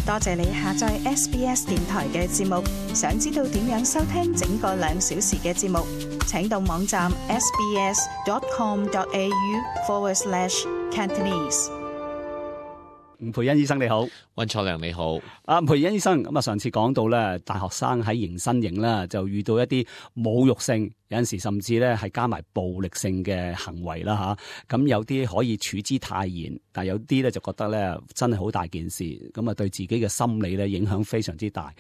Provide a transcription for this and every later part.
多謝你下載 SBS 電台嘅節目。想知道點樣收聽整個2小時嘅節目，請到網站 sbs.com.au/Cantonese。吳培恩醫生你好，溫楚良你好。吳培恩醫生，咁啊上次講到咧，大學生喺迎新營啦，就遇到一啲侮辱性，有陣時甚至咧係加埋暴力性嘅行為啦吓。咁有啲可以處之泰然，但有啲咧就覺得咧真係好大件事，咁啊對自己嘅心理咧影響非常之大。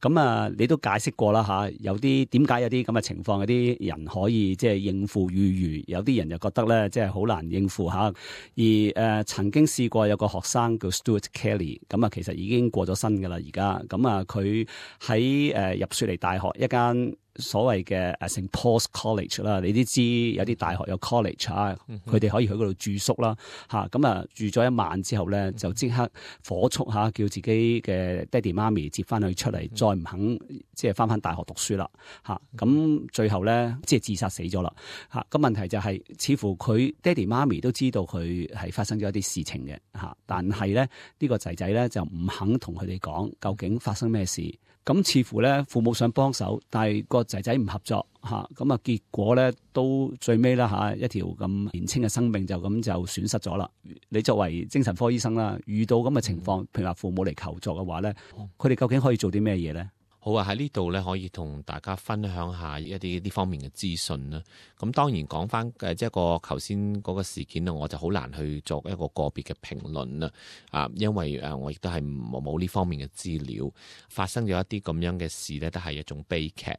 咁啊你都解釋過啦吓，有啲點解有啲咁嘅情況，有啲人可以即係應付裕餘，有啲人就覺得咧即係好難應付吓。而曾經試過有個學生叫 Stuart Kelly， 咁啊其實已經過咗身噶啦而家，咁啊佢喺入雪梨大學一間所謂嘅St Paul's College 啦，你都知有啲大學有 college 啊，佢哋可以去嗰度住宿啦嚇，咁啊住咗一晚之後咧，就即刻火速嚇叫自己嘅爹哋媽咪接翻佢出嚟，再唔肯即係翻大學讀書啦嚇，咁最後咧即係自殺死咗啦嚇。咁問題就係似乎佢爹哋媽咪都知道佢係發生咗一啲事情嘅嚇，但係咧呢個仔仔咧就唔肯同佢哋講究竟發生咩事。咁似乎咧父母想幫手，但係個仔仔唔合作嚇，咁啊結果咧都最尾啦嚇，一條咁年輕嘅生命就咁就損失咗啦。你作為精神科醫生啦，遇到咁嘅情況，譬如話父母嚟求助嘅話咧，佢哋究竟可以做啲咩嘢咧？好啊，喺呢度咧可以同大家分享下一啲呢方面嘅資訊啦。咁當然講翻即係個頭先嗰個事件咧，我就好難去作一個個別嘅評論啦。因為我亦都係冇呢方面嘅資料。發生咗一啲咁樣嘅事咧，都係一種悲劇。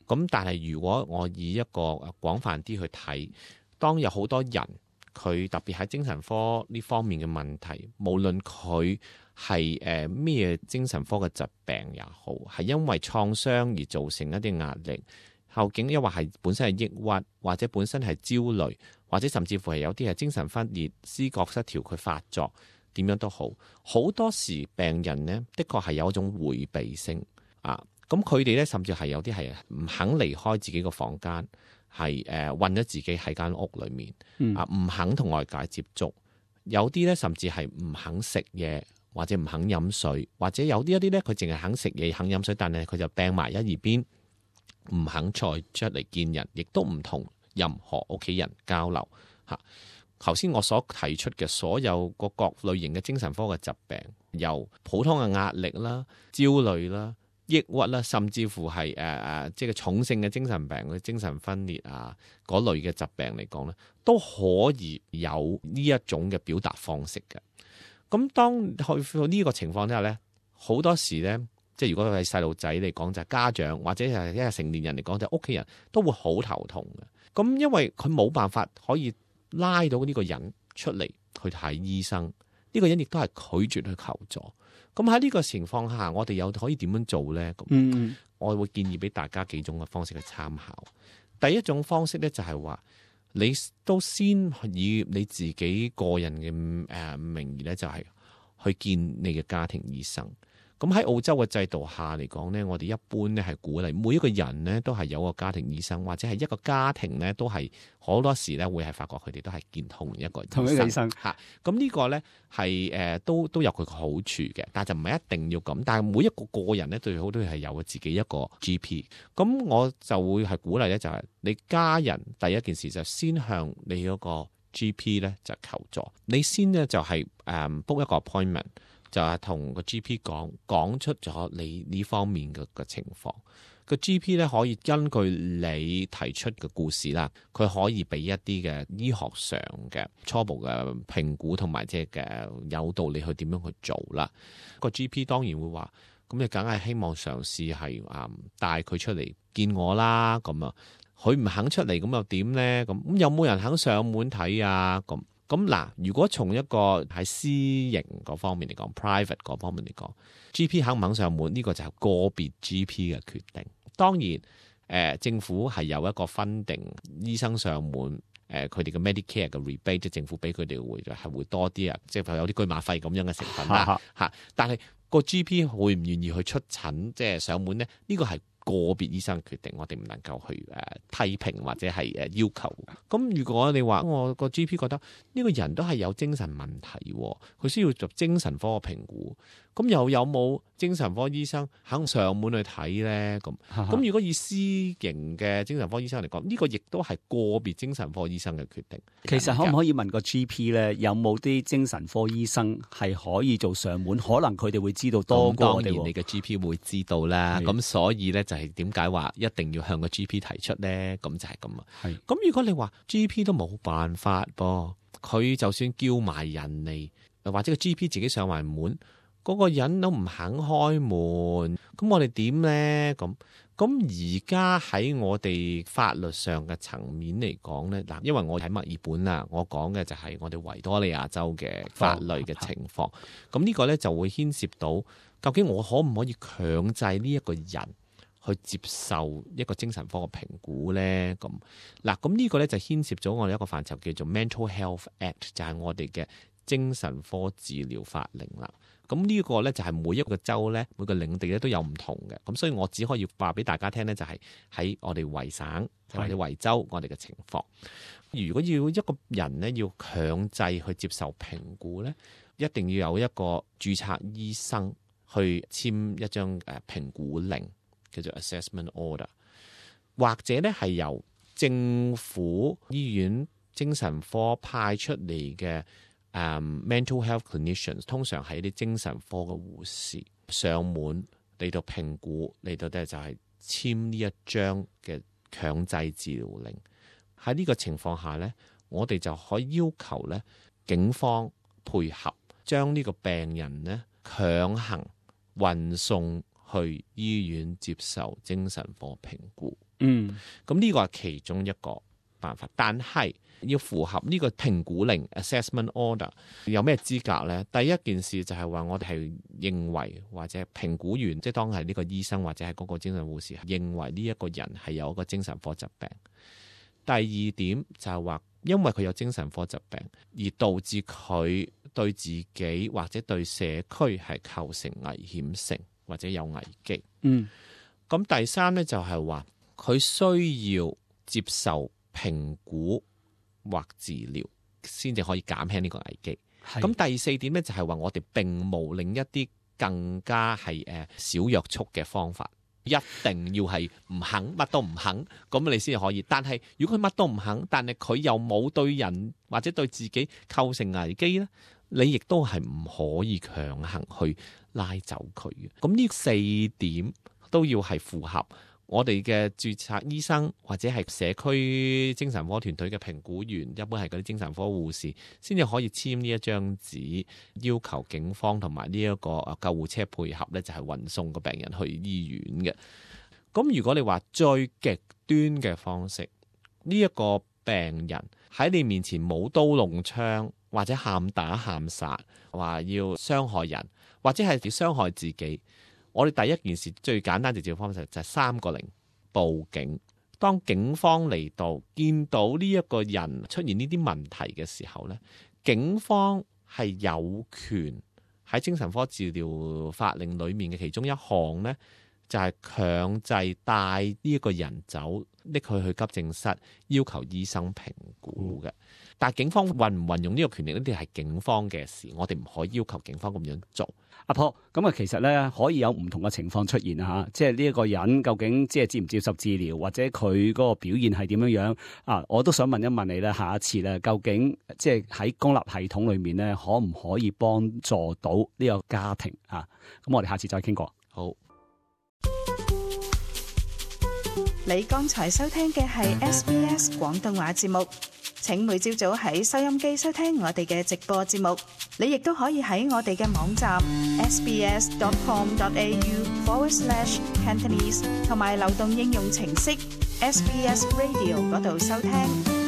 咁但係如果我以一個廣泛啲去睇，當有好多人佢特別喺精神科呢方面嘅問題，無論佢係咩精神科嘅疾病也好，係因為創傷而造成一啲壓力，究竟抑或係本身係抑鬱，或者本身係焦慮，或者甚至乎係有啲係精神分裂、思覺失調佢發作，點樣都好，好多時病人呢，的確係有一種迴避性啊。咁佢哋咧甚至係有啲係唔肯離開自己個房間，係困咗自己喺間屋裏面啊，唔肯同外界接觸。有啲咧甚至係唔肯食嘢，或者唔肯飲水，或者有啲一啲咧佢淨係肯食嘢、肯飲水，但係佢就病埋一二邊，唔肯再出嚟見人，亦都唔同任何屋企人交流嚇。頭先我所提出嘅所有個各類型嘅精神科嘅疾病，由普通嘅壓力啦、焦慮啦、抑鬱啦，甚至乎係即係重性嘅精神病，嘅精神分裂啊嗰類嘅疾病嚟講咧，都可以有呢一種嘅表達方式嘅。咁當去到呢個情況之下咧，好多時咧，即係如果係細路仔嚟講，就係家長或者係一個成年人嚟講，就係屋企人都會好頭痛嘅。咁因為佢冇辦法可以拉到呢個人出嚟去睇醫生，呢個人亦都係拒絕去求助。咁喺呢個情況下，我哋又可以點樣做咧？咁，我會建議俾大家幾種嘅方式去參考。第一種方式咧就係話，你都先以你自己個人嘅名義咧，就係去見你嘅家庭醫生。咁喺澳洲嘅制度下嚟講呢，我哋一般咧係鼓勵每一個人呢都係有個家庭醫生，或者係一個家庭呢都係好多時咧會係發覺佢哋都係見同一個醫生嚇。咁呢個呢係都有佢嘅好處嘅，但係就唔係一定要咁。但係每一個人呢最好都係有自己一個 GP。咁我就會係鼓勵呢，就係你家人第一件事就先向你嗰個 GP 呢就求助。你先呢就係book 一個 appointment。就係同個 GP 講出咗你呢方面嘅情況，個 GP 咧可以根據你提出嘅故事啦，佢可以俾一啲嘅醫學上嘅初步嘅評估，同埋即係嘅誘導你去點樣去做啦。個 GP 當然會話，咁你梗係希望嘗試係帶佢出嚟見我啦。咁啊，佢唔肯出嚟，咁又點咧？咁有冇人肯上門睇啊？咁嗱，如果從一個喺私營嗰方面嚟講 ，private 嗰方面嚟講 ，GP 肯唔肯上門呢個就係個別 GP 嘅決定。當然，政府係有一個分定醫生上門，佢哋嘅 Medicare 嘅 rebate， 即係政府俾佢哋會多啲啊，即係有啲居馬費咁樣嘅成分啦嚇。但係個 GP 會唔願意去出診，即係上門咧？呢個係個別醫生決定，我哋唔能夠去批評或者係要求。咁如果你話我個 GP 覺得呢個人都係有精神問題，佢需要做精神科嘅評估，咁又有冇精神科醫生肯上門去睇咧？咁如果以私營嘅精神科醫生嚟講，呢個亦都係個別精神科醫生嘅決定。其實可唔可以問個 GP 咧，有冇啲精神科醫生係可以做上門？可能佢哋會知道多過我哋。當然你嘅 GP 會知道啦。咁所以咧就係點解話一定要向個 GP 提出咧？咁就係咁啊。咁如果你話 GP 都冇辦法噃，佢就算叫埋人嚟，或者個 GP 自己上埋門。嗰個人都唔肯開門，咁我哋點呢？咁而家喺我哋法律上嘅層面嚟講呢，嗱，因為我喺墨爾本啊，我講嘅就係我哋維多利亞州嘅法律嘅情況。咁呢個呢就會牽涉到，究竟我可唔可以強制呢一個人去接受一個精神科嘅評估呢？咁呢個呢就牽涉咗我哋一個範疇叫做 Mental Health Act， 就係我哋嘅精神科治療法令啦。咁呢個咧就係每一個州咧，每個領地咧都有唔同嘅。咁所以我只可以話俾大家聽咧，就係喺我哋維省或者維州我哋嘅情況。如果要一個人咧要強制去接受評估咧，一定要有一個註冊醫生去簽一張評估令，叫做 assessment order， 或者咧係由政府醫院精神科派出嚟嘅。mental health clinicians 通常係啲精神科嘅護士上門嚟到評估，嚟到咧就係簽呢一張嘅強制治療令。喺呢個情況下咧，我哋就可以要求咧警方配合，將呢個病人咧強行運送去醫院接受精神科評估。咁呢個係其中一個辦法，但係要符合呢個評估令 assessment order 有咩資格呢？第一件事就係話我哋係認為或者評估員，即係當係呢個醫生或者係嗰個精神護士認為呢一個人係有一個精神科疾病。第二點就係話，因為佢有精神科疾病而導致佢對自己或者對社區係構成危險性或者有危機。咁第三呢，就係話佢需要接受評估或治療先至可以減輕呢個危機。咁第四點咧就係話我哋並冇另一啲更加係少約束嘅方法，一定要係唔肯乜都唔肯，咁你先可以。但係如果佢乜都唔肯，但係佢又冇對人或者對自己構成危機咧，你亦都係唔可以強行去拉走佢嘅。咁呢四點都要係符合我哋嘅註冊醫生或者係社區精神科團隊嘅評估員，一般係嗰啲精神科護士，先至可以簽呢一張紙，要求警方同埋呢一個救護車配合咧，就係運送個病人去醫院嘅。咁如果你話最極端嘅方式，呢一個病人喺你面前冇刀弄槍，或者喊打喊殺，話要傷害人，或者係要傷害自己。我哋第一件事最簡單直接嘅方式就係3個0報警。當警方嚟到見到呢一個人出現呢啲問題嘅時候咧，警方係有權喺精神科治療法令裏面嘅其中一項咧，就係強制帶呢一個人走，拎佢去急症室，要求醫生評估嘅。但係警方運唔運用呢個權力呢啲係警方嘅事，我哋唔可以要求警方咁樣做。阿婆，咁啊，其實咧可以有唔同嘅情況出現啊，即係呢一個人究竟即係接唔接受治療，或者佢嗰個表現係點樣樣啊？我都想問一問你咧，下一次咧，究竟即係喺公立系統裏面咧，可唔可以幫助到呢個家庭啊？咁我哋下次再傾過。好。你剛才收聽嘅係 SBS 廣東話節目。請每朝早喺收音機收聽我哋嘅直播節目，你亦都可以喺我哋嘅網站 sbs.com.au/Cantonese 同埋流動應用程式 SBS Radio 嗰度收聽。